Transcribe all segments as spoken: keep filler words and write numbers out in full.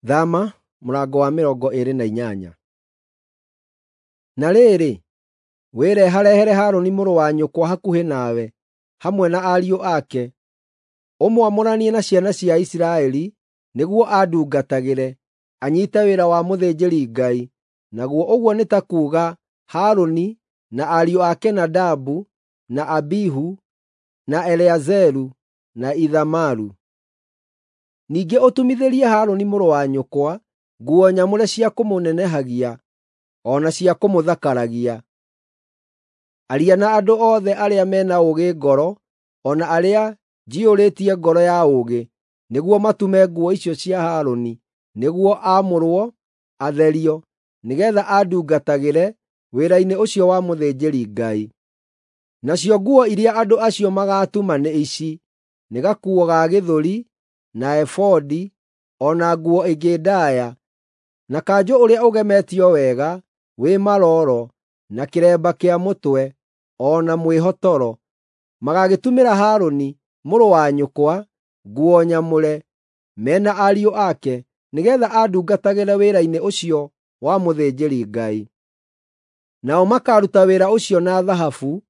Thama mũrango wa mĩrongo ĩĩrĩ na inyanya. Na rĩrĩ, wĩreharehere Harũni mũrũ wa nyũkwa hakuhĩ nawe, hamwe na ariũ ake, ũmwamũranie na ciana cia Isiraeli nĩguo andungatagĩre, anyiite wĩra wa mũthĩnjĩri-Ngai, naguo ũguo nĩ ta kuuga Harũni na ariũ ake Nadabu, na Abihu, na Eleazaru, na Ithamaru. Ningĩ ũtumithĩrie Harũni mũrũ wa nyũkwa nguo nyamũre cia kũmũnenehagia o na cia kũmũthakaragia. Aria na andũ othe arĩa me na ũũgĩ ngoro, o na arĩa njiyũrĩtie ngoro ya ũũgĩ, nĩguo matume nguo icio cia Harũni, nĩguo aamũrwo, atherio, nĩgeetha andungatagĩre wĩra-inĩ ũcio wa mũthĩnjĩri-Ngai. Nacio nguo iria andũ acio magaatuma nĩ ici: nĩ gakuo ga gĩthũri, na ebodi, o na nguo ĩngĩ ndaaya, na kanjũ ũrĩa ũgemetio wega wĩ marooro, na kĩremba kĩa mũtwe, o na mwĩhotoro. Magaagĩtumĩra Harũni, mũrũ wa nyũkwa, nguo nyamũre, me na ariũ ake, nĩgeetha andungatagĩre wĩra-inĩ ũcio wa mũthĩnjĩri-Ngai. Nao makaaruta wĩra ũcio na thahabu,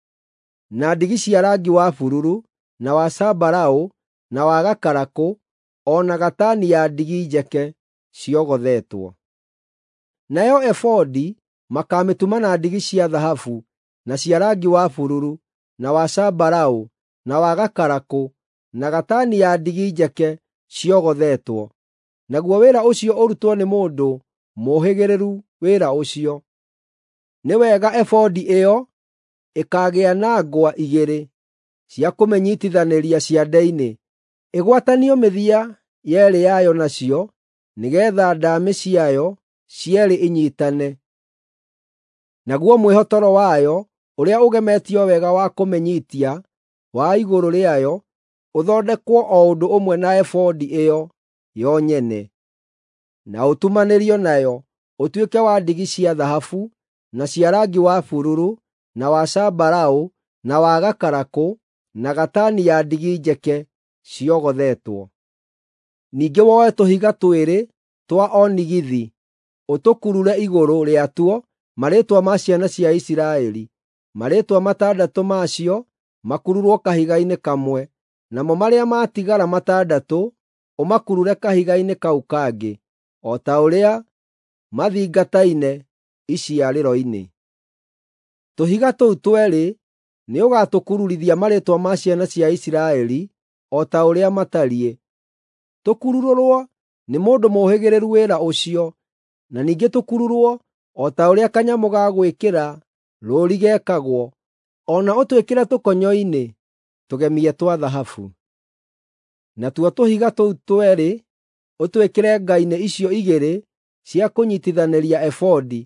na ndigi cia rangi wa bururu, na wa zambarau, na wa gakarakũ, o na gatani ya ndigi njeke ciogothetwo. Nayo ebodi makaamĩtuma na ndigi cia thahabu, na cia rangi wa bururu, na wa zambarau, na wa gakarakũ, na gatani ya ndigi njeke ciogothetwo. Naguo wĩra ũcio ũrutwo nĩ mũndũ mũũhĩgĩrĩru wĩra ũcio. Nĩ wega ebodi ĩyo ĩkaagĩa na ngwa igĩrĩ cia kũmĩnyiitithanĩria ciande-inĩ, ĩgwatanio mĩthia yeerĩ yayo nacio, nĩgeetha ndaamĩ ciayo cierĩ inyiitane. Naguo mwĩhotoro wayo ũrĩa ũgemetio wega wa kũmĩnyiitia wa igũrũ rĩayo ũthondekwo o ũndũ ũmwe na ebodi ĩyo yo nyene, na ũtumanĩrio nayo, ũtuĩke wa ndigi cia thahabu, na cia rangi wa bururu, na wa zambarau, na wa gakarakũ, na gatani ya ndigi njeke ciogothetwo. Ningĩ woe tũhiga twĩrĩ twa onigithi ũtũkurure igũrũ rĩatuo marĩĩtwa ma ciana cia Isiraeli, marĩĩtwa matandatũ macio makururwo kahiga-inĩ kamwe, namo marĩa matigara matandatũ ũmakurure kahiga-inĩ kau kangĩ, o ta ũrĩa mathingataine iciarĩro-inĩ. Tũhiga tũu tweerĩ nĩũgatũkururithia marĩĩtwa ma ciana cia Isiraeli o ta ũrĩa matariĩ, tũkururwo nĩ mũndũ mũũhĩgĩrĩru wĩra ũcio, na ningĩ tũkururwo o ta ũrĩa kanyamũ ga gwĩkĩra rũũri gekagwo, o na ũtwĩkĩre tũkonyo-inĩ tũgemie twa thahabu. Natuo tũhiga tũu tweerĩ ũtwĩkĩre nga-inĩ icio igĩrĩ cia kũnyiitithanĩria ebodi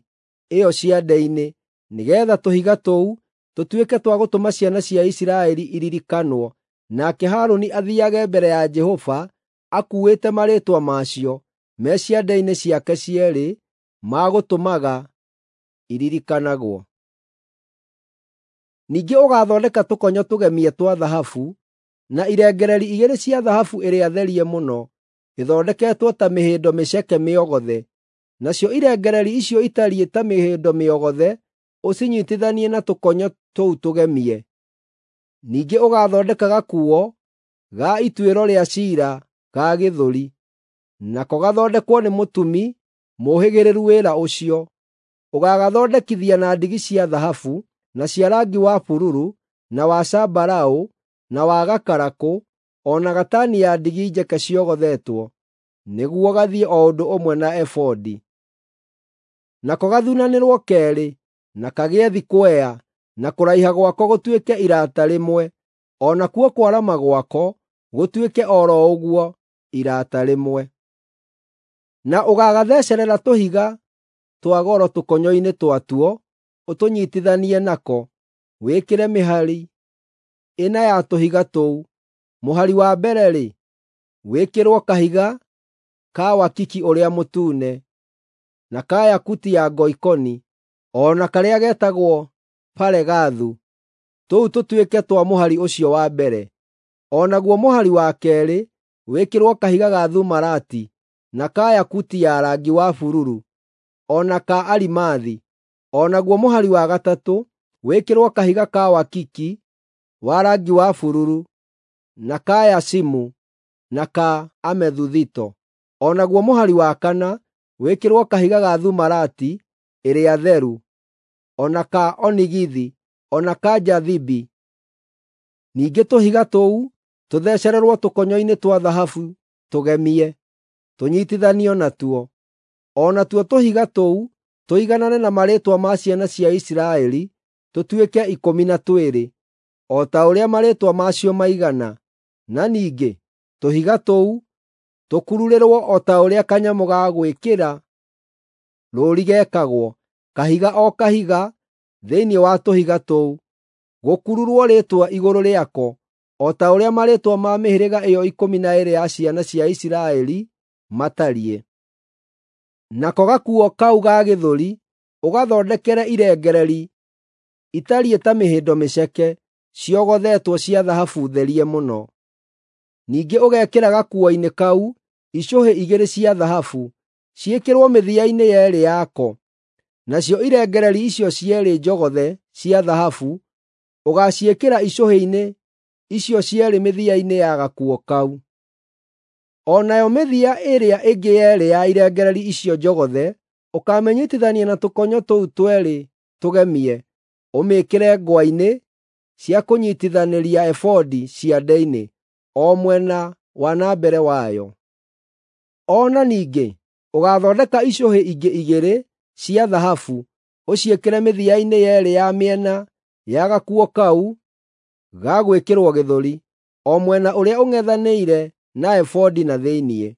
ĩyo ciande-inĩ, nĩgeetha tũhiga tũu tũtuĩke twa gũtũma ciana cia Isiraeli iririkanwo, nake Harũni athiiage mbere ya Jehova akuuĩte marĩĩtwa macio me ciande-inĩ ciake cierĩ ma gũtũmaga iririkanagwo. Ningĩ ũgaathondeka tũkonyo tũgemie twa thahabu, na irengeeri igĩrĩ cia thahabu ĩrĩa therie mũno, ithondeketwo ta mĩhĩndo mĩceke mĩogothe. Nacio irengeeri icio itariĩ ta mĩhĩndo mĩogothe ũcinyiitithanie na tũkonyo tũu tũgemie. Ningĩ ũgaathondeka gakuo ga ituĩro rĩa ciira ga gĩthũri, nako gathondekwo nĩ mũtumi mũũhĩgĩrĩru wĩra ũcio. Ũgaagathondekithia na ndigi cia thahabu, na cia rangi wa bururu, na wa zambarau, na wa gakarakũ, o na gatani ya ndigi njeke ciogothetwo, nĩguo gathiĩ o ũndũ ũmwe na ebodi. Nako gathunanĩrwo keerĩ, na kagĩe thikwea, na kũraiha gwako gũtuĩke irata rĩmwe, o nakuo kwarama gwako gũtuĩke o ro ũguo irata rĩmwe. Na ũgaagathecerera tũhiga twa goro tũkonyo-inĩ twatuo ũtũnyiitithanie nako, wĩkĩre mĩhari ĩna ya tũhiga tũu. Mũhari wa mbere-rĩ, wĩkĩrwo kahiga ka wakiki ũrĩa mũtune, na ka yakuti ya ngoikoni, o na karĩa getagwo baregathu, tũu tũtuĩke twa mũhari ũcio wa mbere. O naguo mũhari wa keerĩ wĩkĩrwo kahiga ga thumarati, na ka yakuti ya rangi wa bururu, o na ka arimathi. O naguo mũhari wa gatatũ wĩkĩrwo kahiga ka wakiki wa rangi wa bururu, na ka yacimu, na ka amethuthito. O naguo mũhari wa kana wĩkĩrwo kahiga ga thumarati ĩrĩa theru, o na ka onigithi, o na ka jathibi. Ningĩ tũhiga tũu tũthecererwo tũkonyo-inĩ twa thahabu tũgemie, tũnyiitithanio natuo. O natuo tũhiga tũu tũiganane na marĩĩtwa ma ciana cia Isiraeli tũtuĩke ikũmi na twĩrĩ, o ta ũrĩa marĩĩtwa macio maigana. Na ningĩ tũhiga tũu tũkururĩrwo o ta ũrĩa kanyamũ ga gwĩkĩra rũũri gekagwo, kahiga o kahiga thĩinĩ wa tũhiga tũu, gũkururwo rĩĩtwa igũrũ rĩako, o ta ũrĩa marĩĩtwa ma mĩhĩrĩga ĩyo ikũmi na ĩĩrĩ ya ciana cia Isiraeli matariĩ. Nako gakuo kau ga gĩthũri ũgathondekere irengereri itariĩ ta mĩhĩndo mĩceke ciogothetwo cia thahabu therie mũno. Ningĩ ũgekĩra gakuo-inĩ kau icũhĩ igĩrĩ cia thahabu, ciĩkĩrwo mĩthia-inĩ yeerĩ yako. Nacio irengereri icio cierĩ njogothe cia thahabu ũgaaciĩkĩra icũhĩ-inĩ icio cierĩ mĩthia-inĩ ya gakuo kau. O nayo mĩthia ĩrĩa ĩngĩ yeerĩ ya irengereri icio njogothe ũkamĩnyiitithania na tũkonyo tũu tweerĩ tũgemie, ũmĩĩkĩre ngwa-inĩ cia kũnyiitithanĩria ebodi ciande-inĩ, o mwena wa na mbere wayo. O na ningĩ ũgaathondeka icũhĩ ingĩ igĩrĩ cia thahabu, ũciĩkĩre mĩthia-inĩ yeerĩ ya mĩena ya gakuo kau ga gwĩkĩrwo gĩthũri, o mwena ũrĩa ũng'ethanĩire na ebodi na thĩinĩ.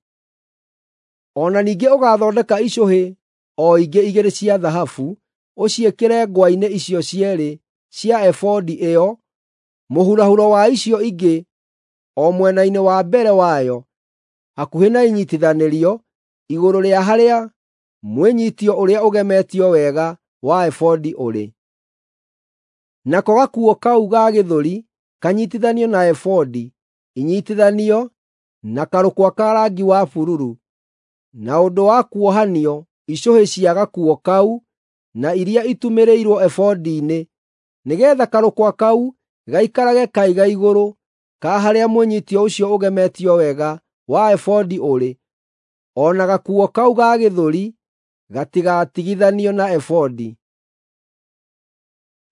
O na ningĩ ũgaathondeka icũhĩ o ingĩ igĩrĩ cia thahabu, ũciĩkĩre ngwa-inĩ icio cierĩ cia ebodi ĩyo mũhurahuro wa icio ingĩ o mwena-inĩ wa mbere wayo, hakuhĩ na inyiitithanĩrio, igũrũ rĩa harĩa mwĩnyiitio ũrĩa ũgemetio wega wa ebodi ũrĩ. Nako gakuo kau ga gĩthũri kanyiitithanio na ebodi, inyiitithanio na karũkwa ka rangi wa bururu, na ũndũ wa kuohanio icũhĩ cia gakuo kau na iria itumĩrĩirwo ebodi-inĩ, nĩgeetha karũkwa kau gaikarage kaiga igũrũ ka harĩa mwĩnyiitio ũcio ũgemetio wega wa ebodi ũrĩ, o na gakuo kau ga gĩthũri gatigatigithanio na ebodi.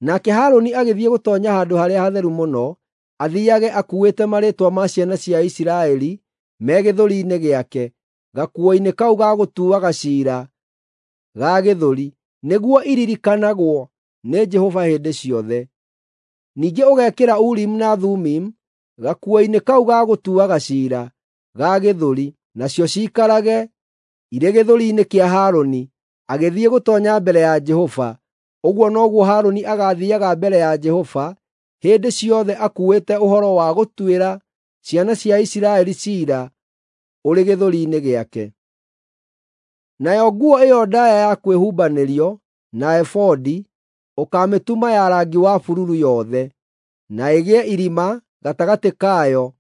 Nake Harũni agĩthiĩ gũtoonya Handũ-harĩa-Hatheru-Mũno, athiiage akuuĩte marĩĩtwa ma ciana cia Isiraeli me gĩthũri-inĩ gĩake, gakuo-inĩ kau ga gũtuaga ciira ga gĩthũri, nĩguo iririkanagwo nĩ Jehova hĩndĩ ciothe. Ningĩ ũgekĩra Urimu na Thumimu gakuo-inĩ kau ga gũtuaga ciira ga gĩthũri, nacio ciikarage irĩ gĩthũri-inĩ kĩa Harũni agĩthiĩ gũtoonya mbere ya Jehova. Ũguo noguo Harũni agaathiiaga mbere ya Jehova hĩndĩ ciothe akuuĩte ũhoro wa gũtuĩra ciana cia Isiraeli ciira ũrĩ gĩthũri-inĩ gĩake. Nayo nguo ĩyo ndaaya ya kwĩhumbanĩrio na ebodi ũkaamĩtuma ya rangi wa bururu yothe, na ĩgĩe irima gatagatĩ kayo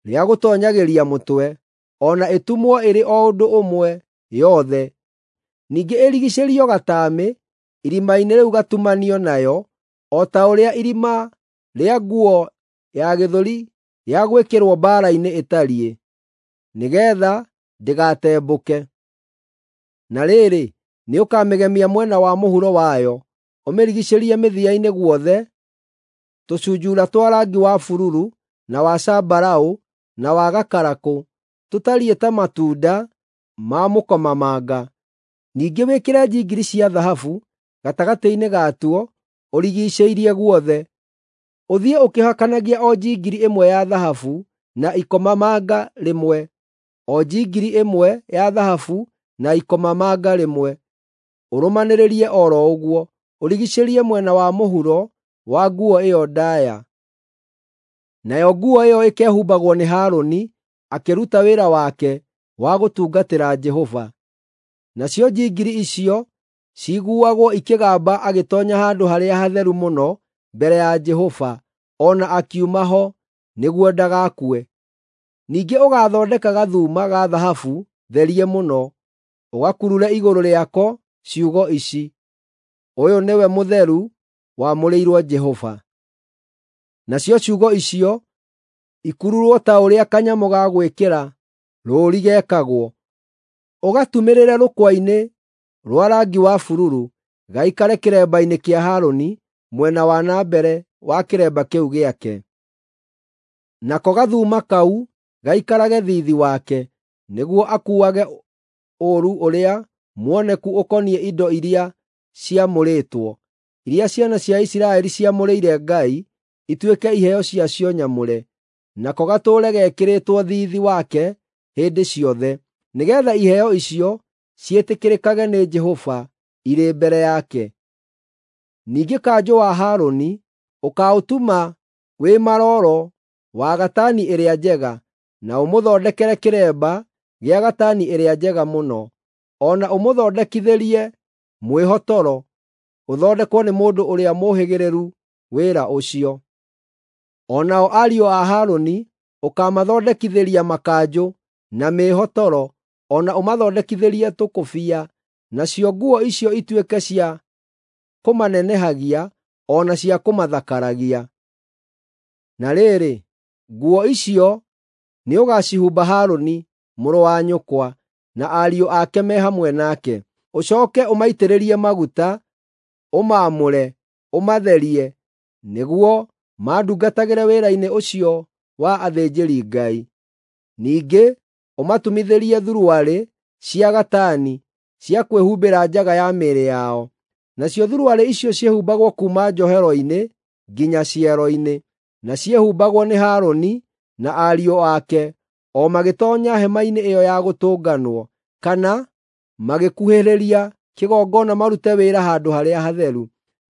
rĩa gũtoonyagĩria mũtwe, o na ĩtumwo ĩrĩ o ũndũ ũmwe yothe. Ningĩ ĩrigiicĩrio gataamĩ irima-inĩ rĩu gatumanio nayo, o ta ũrĩa irima rĩa nguo ya gĩthũri ya gwĩkĩrwo mbaara-inĩ ĩtariĩ, nĩgeetha ndĩgatembũke. Na rĩrĩ, nĩũkamĩgemia mwena wa mũhuro wayo, ũmĩrigiicĩrie mĩthia-inĩ guothe tũcunjuura twa rangi wa bururu, na wa zambarau, na wa gakarakũ, tũtariĩ ta matunda ma mũkomamanga. Ningĩ wĩkĩre njingiri cia thahabu gatagatĩ-inĩ gatuo ũrigiicĩirie guothe. Ũthiĩ ũkĩhakanagia o njingiri ĩmwe ya thahabu na ikomamanga rĩmwe, o njingiri ĩmwe ya thahabu na ikomamanga rĩmwe, ũrũmanĩrĩrie o ro ũguo, ũrigiicĩrie mwena wa mũhuro wa nguo ĩyo ndaaya. Nayo nguo ĩyo ĩkehumbagwo nĩ Harũni akĩruta wĩra wake wa gũtungatĩra Jehova. Nacio njingiri icio ciiguagwo ikĩgamba agĩtoonya Handũ-harĩa-Hatheru-Mũno mbere ya Jehova, o na akiuma ho, nĩguo ndagakue. Ningĩ ũgathondeka gathuma ga thahabu therie mũno, ũgakurure igũrũ rĩako ciugo ici: Ũyũ nĩwe mũtheru, wamũrĩirwo Jehova. Nacio ciugo icio ikururwo ta ũrĩa kanyamũ ga gwĩkĩra rũũri gekagwo, ũgatumĩrĩre rũkwa-inĩ rwa rangi wa bururu, gaikare kĩremba-inĩ kĩa Harũni mwena wa na mbere wa kĩremba kĩu gĩake. Nako gathuuma kau gaikarage thiithi wake, nĩguo akuuage ũũru ũrĩa muoneku ũkoniĩ indo iria ciamũrĩtwo, iria ciana cia Isiraeli ciamũrĩire Ngai ituĩke iheo ciacio nyamũre, nako gatũũre gekĩrĩtwo thiithi wake hĩndĩ ciothe, nĩgeetha iheo icio ciĩtĩkĩrĩkage nĩ Jehova irĩ mbere yake. Ningĩ kanjũ wa Harũni ũkaũtuma wĩ marooro wa gatani ĩrĩa njega, na ũmũthondekere kĩremba gĩa gatani ĩrĩa njega mũno, o na ũmũthondekithĩrie mwĩhotoro ũthondekwo nĩ mũndũ ũrĩa mũũhĩgĩrĩru wĩra ũcio. O nao ariũ a Harũni ũkamathondekithĩria makanjũ na mĩĩhotoro, o na ũmathondekithĩrie tũkũbia, nacio nguo icio ituĩke cia kũmanenehagia o na cia kũmathakaragia. Na rĩrĩ, nguo icio nĩũgacihumba Harũni mũrũ wa nyũkwa na ariũ ake me hamwe nake. Ũcooke ũmaitĩrĩrie maguta, ũmaamũre, ũmatherie, nĩguo mandungatagĩre wĩra-inĩ ũcio wa athĩnjĩri-Ngai. Ningĩ ũmatumithĩrie thuruarĩ cia gatani cia kwĩhumbĩra njaga ya mĩĩrĩ yao. Nacio thuruarĩ icio ciĩhumbagwo kuuma njohero-inĩ nginya ciero-inĩ, na ciĩhumbagwo nĩ Harũni na ariũ ake o magĩtoonya hema-inĩ ĩyo ya gũtũnganwo, kana magĩkuhĩrĩria kĩgongona marute wĩra handũ harĩa hatheru,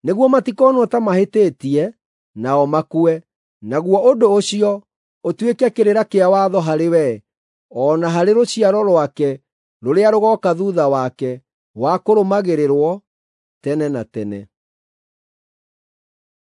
nĩguo matikonwo ta mahĩtĩtie nao makue. Naguo ũndũ ũcio ũtuĩke kĩrĩra kĩa watho harĩ we, o na harĩ rũciaro rwake rũrĩa rũgooka thuutha wake, wa kũrũmagĩrĩrwo tene na tene.